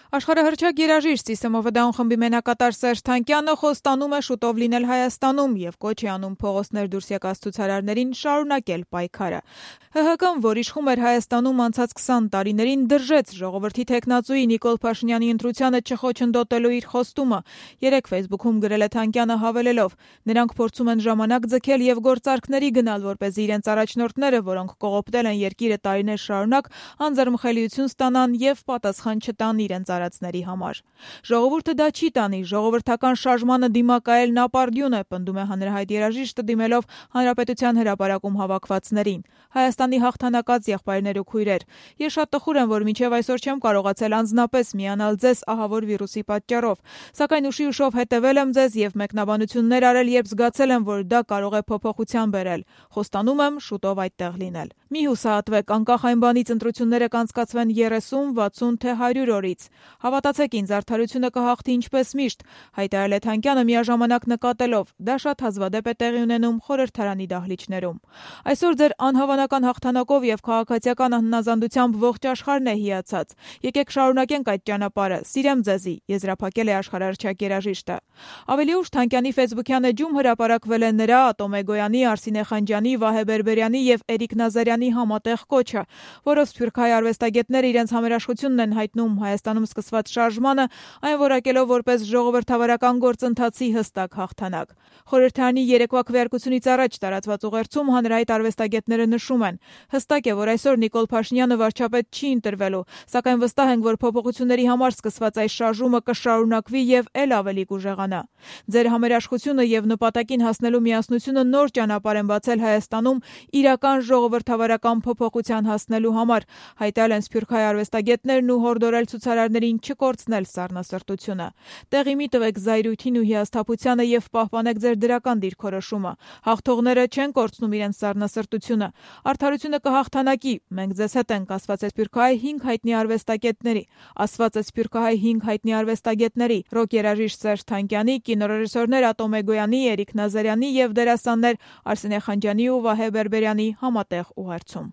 Աշխարհահռչակ երաժիշտ ՍԻՍՄՈՎ Down խմբի մենակատար Սերժ Թանկյանը խոստանում է շուտով լինել Հայաստանում եւ կոչ է անում փողոցներ դուրս եկած ցուցարարներին շարունակել պայքարը։ ՀՀԿ-ն, որ իշխում էր Հայաստանում անցած 20 տարիներին, դրժեց ժողովրդի թեկնածուի Նիկոլ Փաշինյանի ընտրությանը չխոչընդոտելու իր խոստումը։ Երեկ Facebook-ում գրել է Թանկյանը հավելելով. նրանք փորձում են ժամանակ ձգել եւ գործարքների գնալ, որպեսզի իրենց առաջնորդները, որոնք կողոպտել են երկիրը տարիներ շարունակ, անձեռմխելիություն ստանան եւ պատասխան չտան իրենց արածների համար։ Ժողովուրդը դա չի տանի, ժողովրդական շարժմանը դիմակայելն ապարդյուն է, պնդում է հանրահայտ երաժիշտը դիմելով Հանրապետության հրապարակում հավաքվածներին։ Հայաստանի հաղթանակած եղբայրներ ու քույրեր, ես շատ տխուր եմ, որ մինչև այսօր չեմ կարողացել անձնապես միանալ ձեզ ահավոր վիրուսի պատճառով, սակայն ուշի ուշով հետևել եմ ձեզ եւ մեկնաբանություններ արել, երբ զգացել եմ, որ դա կարող է փոփոխության բերել։ Խոստանում եմ շուտով այդտեղ լինել։ Մի հուսահատվեք, անկախ այն բանից ընտրությունները կանցկացվեն 30, 60 թե 100 օրից։ Հավատացեք ինձ, արդարությունը կհաղթի ինչպես միշտ, հայտարարել է Թանկյանը միաժամանակ նկատելով. դա շատ հազվադեպ է տեղի ունենում խորհրդարանի դահլիճներում։ Այսօր ձեր անհավանական հաղթանակով եւ քաղաքացիական հնազանդությամբ ողջ աշխարհն է հիացած։ Եկեք շարունակենք այդ ճանապարհը։ Սիրեմ ձեզի, եզրափակել է աշխարհահռչակ երաժիշտը։ Ավելի ուշ Թանկյանի ֆեյսբուքյան էջում հրապարակվել է նրա, Ատոմ Էգոյանի, Արսինե Խանջյանի, Վահե Բերբերյանի եւ Էրիկ Նազարյանի համատեղ կոչը, որով սփյուռքահայ արվեստագետները իրենց համերաշխությունն են հայտնում Հայաստանում սկսված շարժմանը, այն որակելով որպես ժողովրդավարական գործընթացի հստակ հաղթանակ։ Խորհրդարանի երեկվա քվեարկությունից առաջ տարածված ուղերձում հանրահայտ արվեստագետները նշում են. հստակ է, որ այսօր Նիկոլ Փաշինյանը վարչապետ չի ընտրվելու, սակայն վստահ ենք, որ փոփոխությունների համար սկսված այս շարժումը կշարունակվի եւ ել ավելի կուժեղանա։ Ձեր համերաշխությունը եւ նպատակին հասնելու միասնությունը նոր ճանապարհ են բացել Հայաստանում իրական ժողովրդավարական փոփոխության հասնելու համար, հայտարարել են սփյուռքահայ արվեստագետներն ու հորդորել ցուցարարներին չկորցնել սառնասրտությունը։ Տեղի մի տվեք զայրույթին ու հիասթափությանը եւ պահպանեք ձեր դրական դիրքորոշումը։ Հաղթողները չեն կորցնում իրենց սառնասրտությունը։ Արդարությունը կհաղթանակի։ Մենք ձեզ հետ ենք, ասված է սփյուռքահայ 5 հայտնի արվեստագետների։ Ասված է սփյուռքահայ 5 հայտնի արվեստագետների՝ ռոք երաժիշտ Սերժ Թանկյանի, կինոռեժիսորներ Ատոմ Էգոյանի, Էրիկ Նազարյանի եւ դերասաններ Արսինե Խանջյանի ու Վահե Բերբերյանի համատեղ ուղերձում։